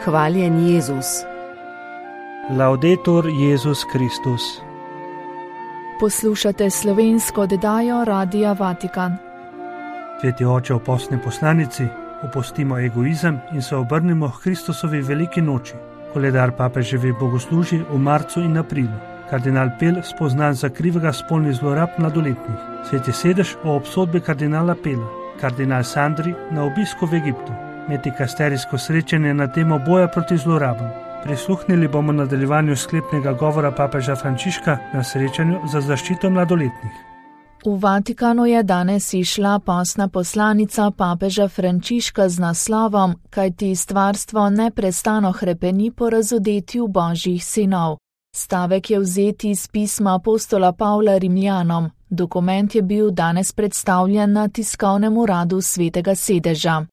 Hvaljen Jezus. Laudetur Jezus Kristus. Poslušate slovensko oddajo Radia Vatikan. Sveti oče v postni poslanici, opustimo egoizem in se obrnimo k Kristusovi veliki noči. Koledar papeževi bogoslužji v marcu in aprilu. Kardinal Pel spoznan za krivega spolnih zlorab mladoletnih. Sveti sedež o obsodbi kardinala Pela. Kardinal Sandri na obisku v Egiptu. Metikasterijsko srečanje na temo boja proti zlorabam. Prisluhnili bomo nadaljevanju sklepnega govora papeža Frančiška na srečanju za zaščito mladoletnih. V Vatikanu je danes išla postna poslanica papeža Frančiška z naslovom Kajti stvarstvo neprestano hrepeni po razodetju Božjih sinov. Stavek je vzet iz pisma apostola Pavla Rimljanom. Dokument je bil danes predstavljen na tiskovnem uradu Svetega sedeža.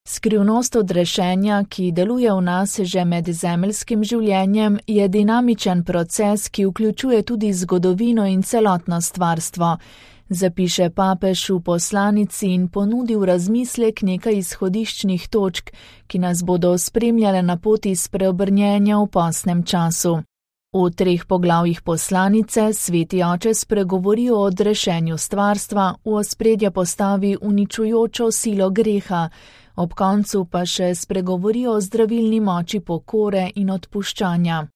Skrivnost odrešenja, ki deluje v nas že med zemeljskim življenjem, je dinamičen proces, ki vključuje tudi zgodovino in celotno stvarstvo. Zapiše papež v poslanici in ponudi v razmislek nekaj izhodiščnih točk, ki nas bodo spremljale na poti spreobrnjenja v postnem času. V 3 poglavjih poslanice sveti oče spregovori o odrešenju stvarstva, v ospredje postavi uničujočo silo greha, ob koncu pa še spregovori o zdravilni moči pokore in odpuščanja.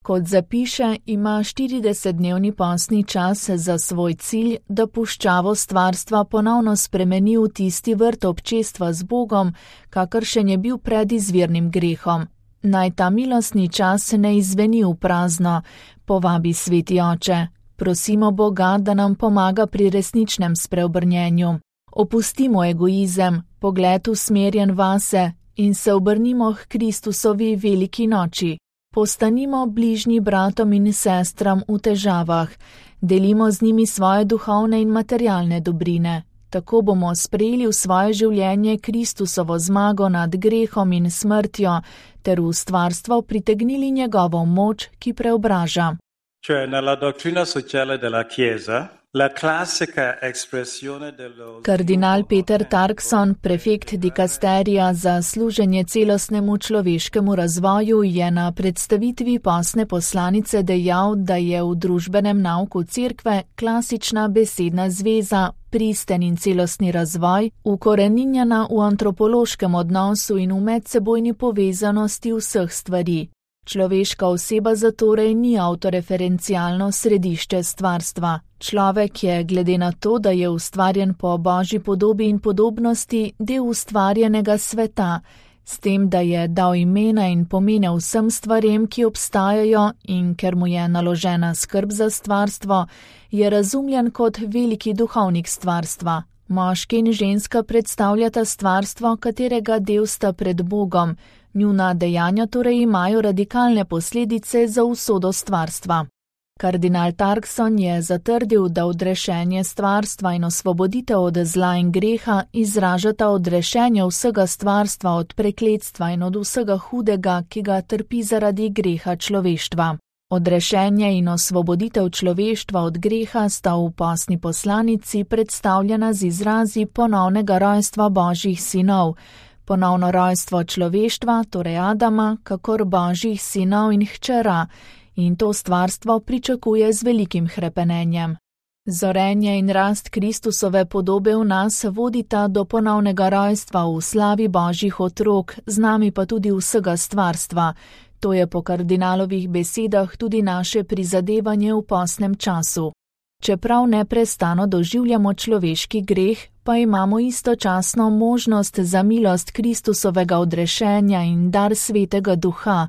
Kot zapiše, ima 40-dnevni postni čas za svoj cilj, da puščavo stvarstva ponovno spremeni v tisti vrt občestva z Bogom, kakršen je bil pred izvirnim grehom. Naj ta milostni čas ne izzveni v prazno, povabi sveti oče. Prosimo Boga, da nam pomaga pri resničnem spreobrnjenju. Opustimo egoizem, pogled usmerjen vase in se obrnimo k Kristusovi veliki noči. Postanimo bližnji bratom in sestram v težavah, delimo z njimi svoje duhovne in materialne dobrine. Tako bomo sprejeli v svoje življenje Kristusovo zmago nad grehom in smrtjo, ter v stvarstvo pritegnili njegovo moč, ki preobraža. Kardinal Peter Turkson, prefekt dikasterija za služenje celostnemu človeškemu razvoju, je na predstavitvi postne poslanice dejal, da je v družbenem nauku cerkve klasična besedna zveza, pristen in celostni razvoj, ukoreninjena v antropološkem odnosu in v medsebojni povezanosti vseh stvari. Človeška oseba zatorej ni avtoreferencialno središče stvarstva. Človek je, glede na to, da je ustvarjen po Božji podobi in podobnosti, del ustvarjenega sveta, s tem, da je dal imena in pomene vsem stvarem, ki obstajajo, in ker mu je naložena skrb za stvarstvo, je razumljen kot veliki duhovnik stvarstva. Moški in ženska predstavljata stvarstvo, katerega del sta pred Bogom. Njuna dejanja torej imajo radikalne posledice za usodo stvarstva. Kardinal Turkson je zatrdil, da odrešenje stvarstva in osvoboditev od zla in greha izražata odrešenje vsega stvarstva od prekletstva in od vsega hudega, ki ga trpi zaradi greha človeštva. Odrešenje in osvoboditev človeštva od greha sta v postni poslanici predstavljena z izrazi ponovnega rojstva Božjih sinov, ponovno rojstvo človeštva, torej Adama, kakor Božjih sinov in hčera, in to stvarstvo pričakuje z velikim hrepenenjem. Zorenje in rast Kristusove podobe v nas vodita do ponovnega rojstva v slavi Božjih otrok, z nami pa tudi vsega stvarstva. To je po kardinalovih besedah tudi naše prizadevanje v postnem času. Čeprav neprestano doživljamo človeški greh, pa imamo istočasno možnost za milost Kristusovega odrešenja in dar Svetega Duha,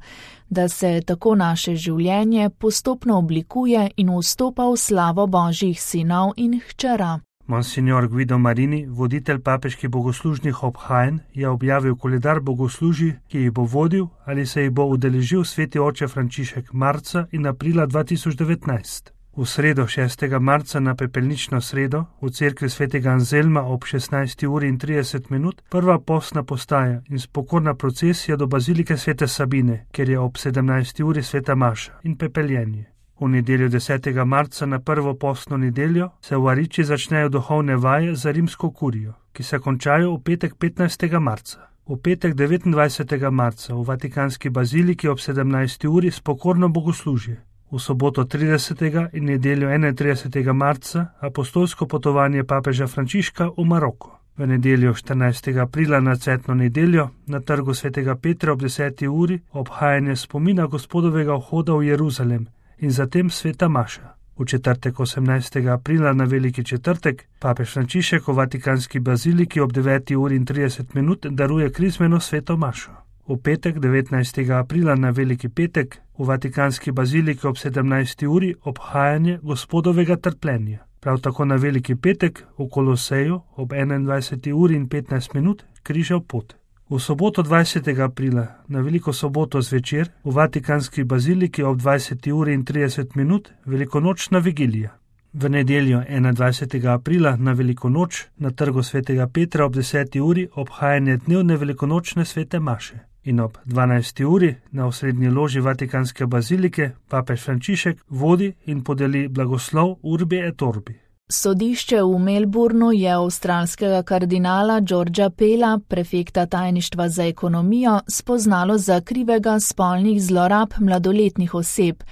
da se tako naše življenje postopno oblikuje in vstopa v slavo Božjih sinov in hčera. Monsignor Guido Marini, voditelj papeških bogoslužnih obhajanj, je objavil koledar bogoslužij, ki jih bo vodil ali se jih bo udeležil sveti oče Frančišek marca in aprila 2019. V sredo 6. marca na pepelnično sredo v cerkvi svetega Anzelma ob 16:30 prva postna postaja in spokorna procesija do bazilike svete Sabine, kjer je ob 17. sveta maša in pepeljenje. V nedeljo 10. marca na prvo postno nedeljo se v Ariči začnejo duhovne vaje za rimsko kurijo, ki se končajo v petek 15. marca. V petek 29. marca v Vatikanski baziliki ob 17. uri spokorno bogoslužje. V soboto 30. in nedeljo 31. marca apostolsko potovanje papeža Frančiška v Maroko. V nedeljo 14. aprila na cvetno nedeljo na trgu svetega Petra ob 10. uri obhajanje spomina Gospodovega vhoda v Jeruzalem in zatem sveta maša. V četrtek 18. aprila na veliki četrtek papež Frančišek v Vatikanski baziliki ob 9. uri in 30 minut daruje krizmeno sveto mašo. V petek 19. aprila na veliki petek v Vatikanski baziliki ob 17. uri obhajanje Gospodovega trpljenja. Prav tako na veliki petek v Koloseju ob 21. uri in 15 minut križev pot. V soboto 20. aprila na veliko soboto zvečer v Vatikanski baziliki ob 20. uri in 30 minut velikonočna vigilija. V nedeljo 21. aprila na veliko noč na trgu svetega Petra ob 10. uri obhajanje dnevne velikonočne svete maše. In ob 12. uri na osrednji loži Vatikanske bazilike papež Frančišek vodi in podeli blagoslov Urbi et Orbi. Sodišče v Melbournu je avstralskega kardinala Georgea Pella, prefekta tajništva za ekonomijo, spoznalo za krivega spolnih zlorab mladoletnih oseb.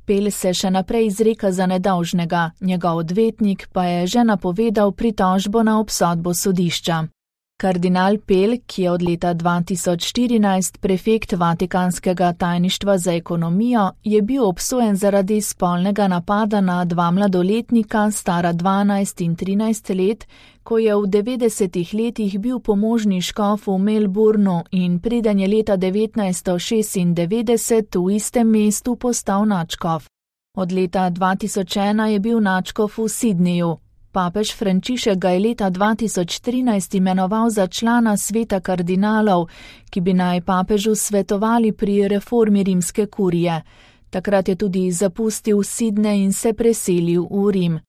Pell se še naprej izreka za nedolžnega, njegov odvetnik pa je že napovedal pritožbo na obsodbo sodišča. Kardinal Pell, ki je od leta 2014 prefekt Vatikanskega tajništva za ekonomijo, je bil obsojen zaradi spolnega napada na dva mladoletnika, stara 12 in 13 let, ko je v 90. letih bil pomožni škof v Melbournu in preden je leta 1996 v istem mestu postal nadškof. Od leta 2001 je bil nadškof v Sydneyju. Papež Frančišek ga je leta 2013 imenoval za člana sveta kardinalov, ki bi naj papežu svetovali pri reformi rimske kurije. Takrat je tudi zapustil Sydney in se preselil v Rim.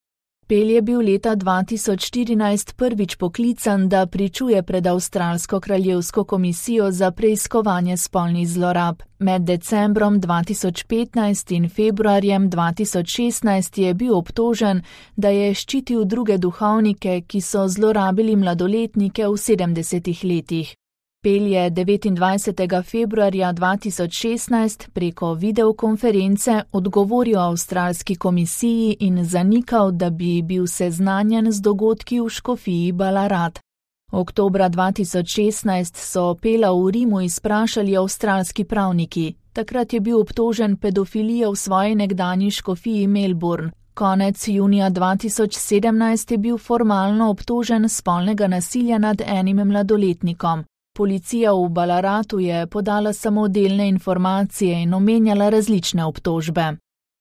Pell je bil leta 2014 prvič poklican, da pričuje pred Avstralsko kraljevsko komisijo za preiskovanje spolnih zlorab. Med decembrom 2015 in februarjem 2016 je bil obtožen, da je ščitil druge duhovnike, ki so zlorabili mladoletnike v 70. letih. Pell je 29. februarja 2016 preko videokonference odgovoril avstralski komisiji in zanikal, da bi bil seznanjen z dogodki v škofiji Ballarat. Oktobra 2016 so Pella v Rimu izprašali avstralski pravniki. Takrat je bil obtožen pedofilije v svoji nekdanji škofiji Melbourne. Konec junija 2017 je bil formalno obtožen spolnega nasilja nad enim mladoletnikom. Policija v Ballaratu je podala samo delne informacije in omenjala različne obtožbe.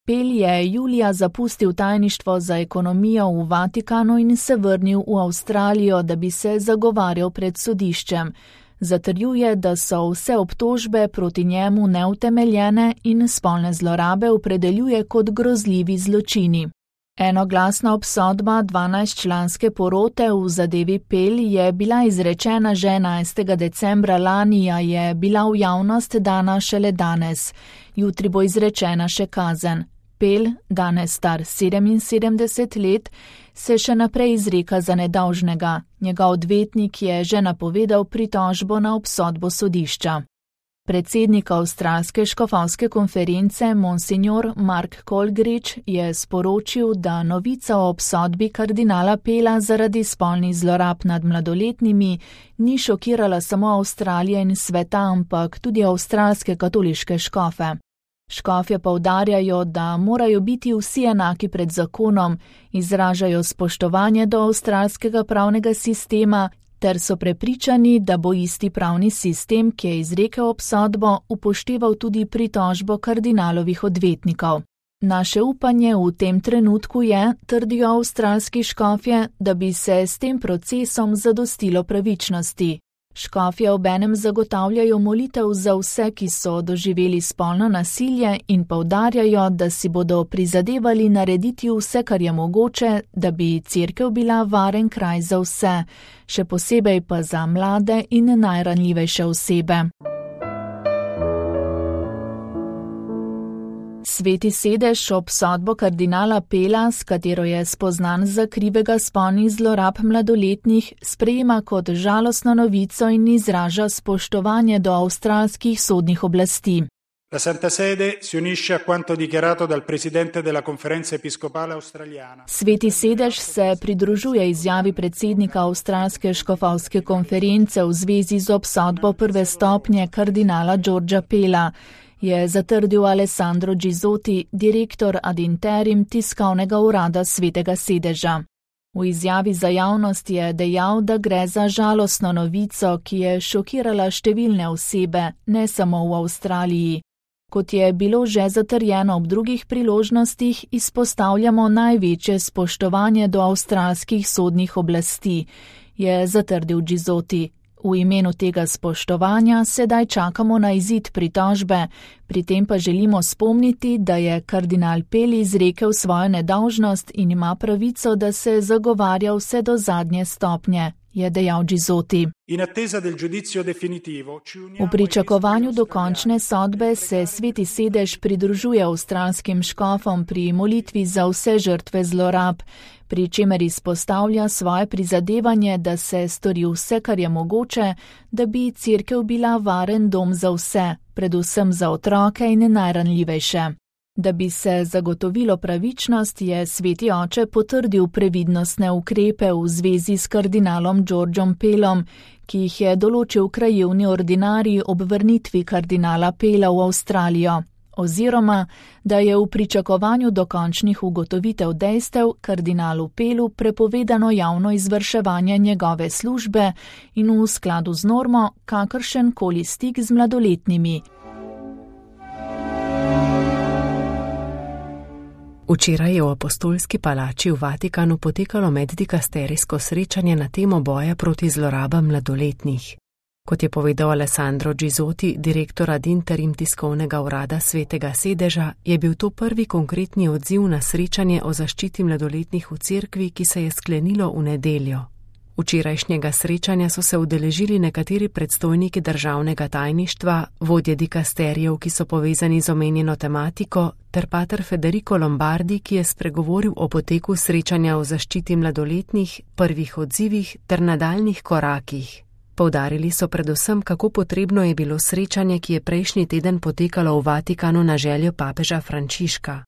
Pell je julija zapustil tajništvo za ekonomijo v Vatikanu in se vrnil v Avstralijo, da bi se zagovarjal pred sodiščem. Zatrjuje, da so vse obtožbe proti njemu neutemeljene in spolne zlorabe opredeljuje kot grozljivi zločini. Enoglasna obsodba 12-članske porote v zadevi Pell je bila izrečena že 11. decembra lani, a je bila v javnost dana šele danes. Jutri bo izrečena še kazen. Pell, danes star 77 let, se še naprej izreka za nedolžnega. Njegov odvetnik je že napovedal pritožbo na obsodbo sodišča. Predsednik avstralske škofovske konference Monsignor Mark Colgrich je sporočil, da novica o obsodbi kardinala Pella zaradi spolnih zlorab nad mladoletnimi ni šokirala samo Avstralije in sveta, ampak tudi avstralske katoliške škofe. Škofje poudarjajo, da morajo biti vsi enaki pred zakonom, izražajo spoštovanje do avstralskega pravnega sistema ter so prepričani, da bo isti pravni sistem, ki je izrekel obsodbo, upošteval tudi pritožbo kardinalovih odvetnikov. Naše upanje v tem trenutku je, trdijo avstralski škofje, da bi se s tem procesom zadostilo pravičnosti. Škofje obenem zagotavljajo molitev za vse, ki so doživeli spolno nasilje in poudarjajo, da si bodo prizadevali narediti vse, kar je mogoče, da bi cerkev bila varen kraj za vse, še posebej pa za mlade in najranljivejše osebe. Sveti sedež obsodbo kardinala Pela, s katero je spoznan za krivega spolnih zlorab mladoletnih, sprejema kot žalostno novico in izraža spoštovanje do avstralskih sodnih oblasti. La Santa Sede si unisce a quanto dichiarato dal presidente della Conferenza Episcopale Australiana. Sveti sedež se pridružuje izjavi predsednika Avstralske škofovske konference v zvezi z obsodbo prve stopnje kardinala Georgea Pela, je zatrdil Alessandro Gizotti, direktor ad interim tiskovnega urada Svetega sedeža. V izjavi za javnost je dejal, da gre za žalostno novico, ki je šokirala številne osebe, ne samo v Avstraliji. Kot je bilo že zatrjeno ob drugih priložnostih, izpostavljamo največje spoštovanje do avstralskih sodnih oblasti, je zatrdil Gizotti. V imenu tega spoštovanja sedaj čakamo na izid pritožbe, pri tem pa želimo spomniti, da je kardinal Peli izrekel svojo nedolžnost in ima pravico, da se zagovarja vse do zadnje stopnje, je dejal Gizotti. V pričakovanju dokončne sodbe se Sveti sedež pridružuje avstralskim škofom pri molitvi za vse žrtve zlorab, pri čemer izpostavlja svoje prizadevanje, da se stori vse, kar je mogoče, da bi cerkev bila varen dom za vse, predvsem za otroke in najranljivejše. Da bi se zagotovilo pravičnost, je Sveti oče potrdil previdnostne ukrepe v zvezi s kardinalom Georgeom Pelom, ki jih je določil krajevni ordinarij ob vrnitvi kardinala Pela v Avstralijo, oziroma da je v pričakovanju dokončnih ugotovitev dejstev kardinalu Pelu prepovedano javno izvrševanje njegove službe in v skladu z normo kakršen koli stik z mladoletnimi. Včeraj je v Apostolski palači v Vatikanu potekalo meddikasterijsko srečanje na temo boja proti zlorabam mladoletnih. Kot je povedal Alessandro Gizotti, direktor ad interim tiskovnega urada Svetega sedeža, je bil to prvi konkretni odziv na srečanje o zaščiti mladoletnih v cerkvi, ki se je sklenilo v nedeljo. Včerajšnjega srečanja so se udeležili nekateri predstojniki državnega tajništva, vodje dikasterijev, ki so povezani z omenjeno tematiko, ter pater Federico Lombardi, ki je spregovoril o poteku srečanja o zaščiti mladoletnih, prvih odzivih ter nadaljnih korakih. Poudarili so predvsem, kako potrebno je bilo srečanje, ki je prejšnji teden potekalo v Vatikanu na željo papeža Frančiška.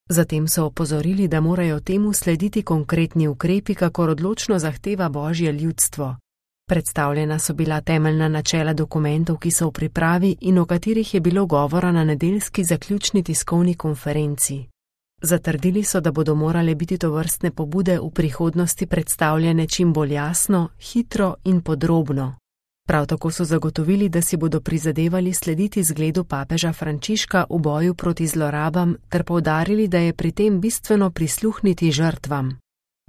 Zatem so opozorili, da morajo temu slediti konkretni ukrepi, kakor odločno zahteva Božje ljudstvo. Predstavljena so bila temeljna načela dokumentov, ki so v pripravi in o katerih je bilo govora na nedeljski zaključni tiskovni konferenci. Zatrdili so, da bodo morale biti tovrstne pobude v prihodnosti predstavljene čim bolj jasno, hitro in podrobno. Prav tako so zagotovili, da si bodo prizadevali slediti zgledu papeža Frančiška v boju proti zlorabam ter poudarili, da je pri tem bistveno prisluhniti žrtvam.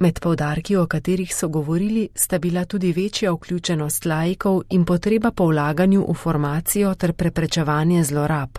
Med poudarki, o katerih so govorili, sta bila tudi večja vključenost laikov in potreba po vlaganju v formacijo ter preprečevanje zlorab.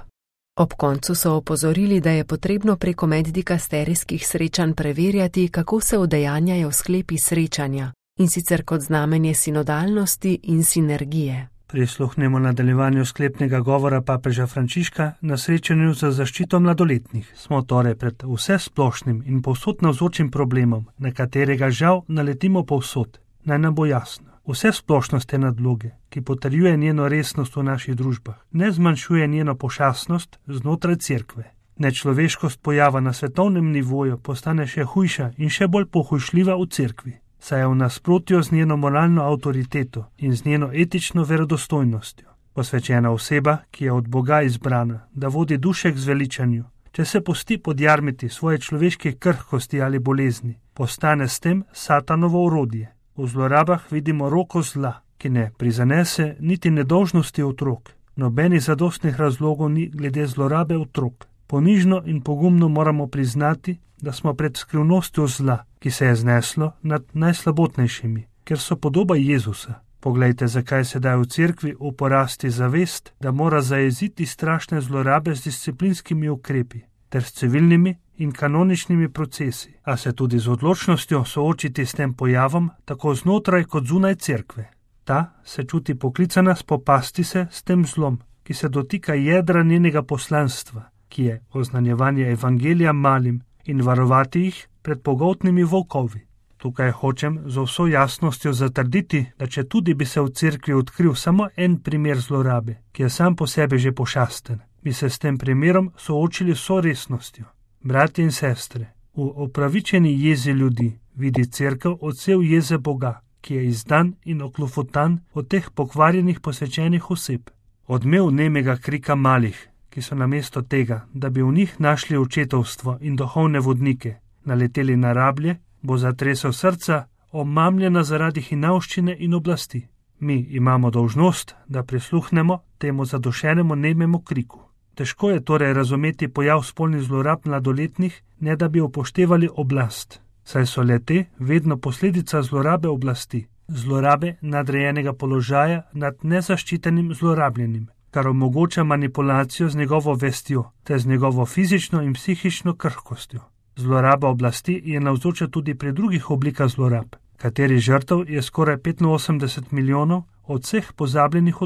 Ob koncu so opozorili, da je potrebno preko meddikasterijskih srečanj preverjati, kako se udejanjajo sklepi srečanja, in sicer kot znamenje sinodalnosti in sinergije. Prisluhnemo nadaljevanju sklepnega govora papeža Frančiška na srečanju za zaščito mladoletnih. Smo torej pred vsesplošnim in povsod navzočim problemom, na katerega žal naletimo povsod. Naj nam bo jasno. Vsesplošnost te nadloge, ki potrjuje njeno resnost v naših družbah, ne zmanjšuje njeno pošastnost znotraj cerkve. Nečloveškost pojava na svetovnem nivoju postane še hujša in še bolj pohujšljiva v cerkvi, saj je v nasprotju z njeno moralno avtoriteto in z njeno etično verodostojnostjo. Posvečena oseba, ki je od Boga izbrana, da vodi duše k zveličanju, če se pusti podjarmiti svoje človeške krhkosti ali bolezni, postane s tem satanovo orodje. V zlorabah vidimo roko zla, ki ne prizanese niti nedolžnosti otrok. Nobenih zadostnih razlogov ni glede zlorabe otrok. Ponižno in pogumno moramo priznati, da smo pred skrivnostjo zla, ki se je zneslo nad najslabotnejšimi, ker so podoba Jezusa. Poglejte, zakaj sedaj v cerkvi uporasti zavest, da mora zajeziti strašne zlorabe z disciplinskimi ukrepi, ter s civilnimi in kanoničnimi procesi, a se tudi z odločnostjo soočiti s tem pojavom, tako znotraj kot zunaj cerkve. Ta se čuti poklicana spopasti se s tem zlom, ki se dotika jedra njenega poslanstva, ki je oznanjevanje evangelija malim in varovati jih pred pogoltnimi volkovi. Tukaj hočem z vso jasnostjo zatrditi, da če tudi bi se v cerkvi odkril samo en primer zlorabe, ki je sam po sebi že pošasten, bi se s tem primerom soočili vso resnostjo. Bratje in sestre, v opravičeni jezi ljudi vidi cerkev odsev jeze Boga, ki je izdan in oklofutan od teh pokvarjenih posvečenih oseb. Odmev nemega krika malih, ki so namesto tega, da bi v njih našli očetovstvo in duhovne vodnike, naleteli na rablje, bo zatresel srca, omamljena zaradi hinavščine in oblasti. Mi imamo dolžnost, da prisluhnemo temu zadušenemu nememu kriku. Težko je torej razumeti pojav spolnih zlorab mladoletnih, ne da bi upoštevali oblast, saj so le-te vedno posledica zlorabe oblasti, zlorabe nadrejenega položaja nad nezaščitenim zlorabljenim, kar omogoča manipulacijo z njegovo vestjo, ter z njegovo fizično in psihično krhkostjo. Zloraba oblasti je navzoča tudi pri drugih oblikah zlorab, kateri žrtev je skoraj 85 milijonov od vseh pozabljenih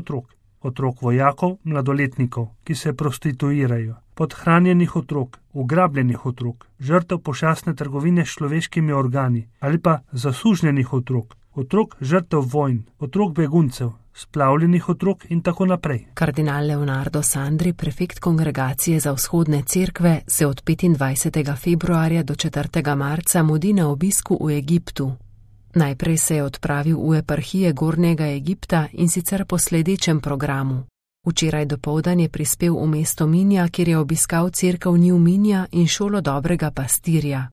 otrok vojakov, mladoletnikov, ki se prostituirajo, podhranjenih otrok, ugrabljenih otrok, žrtev pošastne trgovine s človeškimi organi ali pa zasužnjenih otrok žrtev vojn, otrok beguncev, splavljenih otrok in tako naprej. Kardinal Leonardo Sandri, prefekt Kongregacije za vzhodne cerkve, se od 25. februarja do 4. marca mudi na obisku v Egiptu. Najprej se je odpravil v eparhije Gornjega Egipta in sicer po sledečem programu. Včeraj dopoldan je prispel v mesto Minja, kjer je obiskal cerkev New Minja in šolo dobrega pastirja.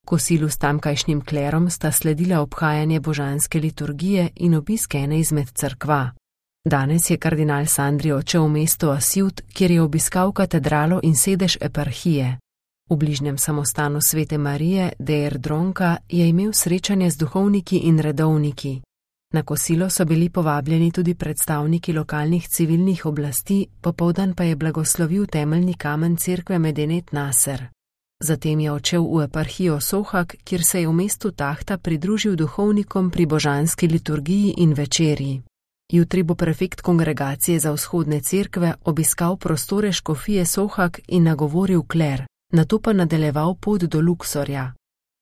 Kosilu s tamkajšnjim klerom sta sledila obhajanje božanske liturgije in obisk ene izmed cerkva. Danes je kardinal Sandri odšel v mesto Asiut, kjer je obiskal katedralo in sedež eparhije. V bližnjem samostanu Svete Marije, Deir Dronka, je imel srečanje z duhovniki in redovniki. Na kosilo so bili povabljeni tudi predstavniki lokalnih civilnih oblasti, popoldan pa je blagoslovil temeljni kamen cerkve Medinet Naser. Zatem je odšel v eparhijo Sohak, kjer se je v mestu Tahta pridružil duhovnikom pri božanski liturgiji in večerji. Jutri bo prefekt Kongregacije za vzhodne cerkve obiskal prostore škofije Sohak in nagovoril kler, nato pa nadaljeval pot do Luksorja.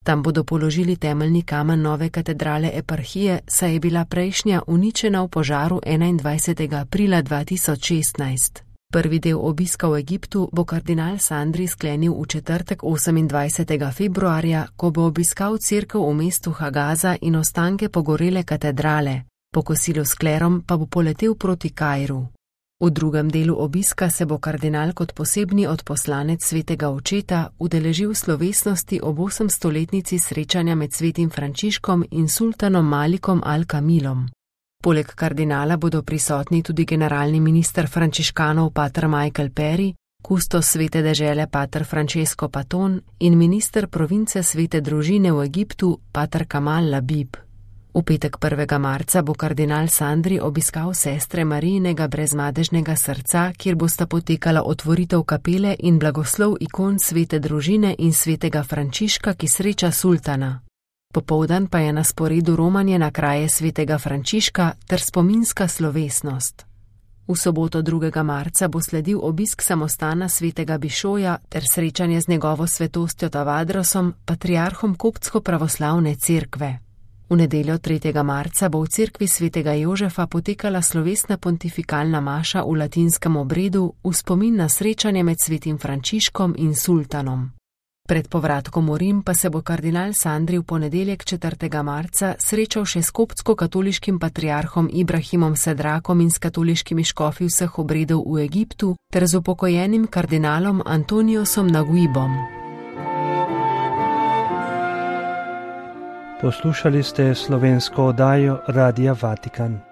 Tam bodo položili temeljni kamen nove katedrale eparhije, saj je bila prejšnja uničena v požaru 21. aprila 2016. Prvi del obiska v Egiptu bo kardinal Sandri sklenil v četrtek 28. februarja, ko bo obiskal cerkev v mestu Hagaza in ostanke pogorele katedrale. Po kosilu s klerom pa bo poletel proti Kairu. V drugem delu obiska se bo kardinal kot posebni odposlanec svetega očeta udeležil slovesnosti ob 800-letnici srečanja med svetim Frančiškom in sultanom Malikom al-Kamilom. Poleg kardinala bodo prisotni tudi generalni minister frančiškanov pater Michael Perry, kustos svete dežele pater Francesco Paton in minister province svete družine v Egiptu pater Kamal Labib. V petek 1. marca bo kardinal Sandri obiskal sestre Marijinega brezmadežnega srca, kjer bosta potekala otvoritev kapele in blagoslov ikon svete družine in svetega Frančiška, ki sreča sultana. Popoldan pa je na sporedu romanje na kraje svetega Frančiška ter spominska slovesnost. V soboto 2. marca bo sledil obisk samostana svetega Bišoja ter srečanje z njegovo svetostjo Tavadrosom, patriarhom koptsko-pravoslavne cerkve. V nedeljo 3. marca bo v cerkvi svetega Jožefa potekala slovesna pontifikalna maša v latinskem obredu v spomin na srečanje med svetim Frančiškom in sultanom. Pred povratkom v Rim pa se bo kardinal Sandri v ponedeljek 4. marca srečal še s koptsko-katoliškim patriarhom Ibrahimom Sedrakom in s katoliškimi škofi vseh obredov v Egiptu ter z upokojenim kardinalom Antoniosom Naguibom. Poslušali ste slovensko oddajo Radia Vatikan.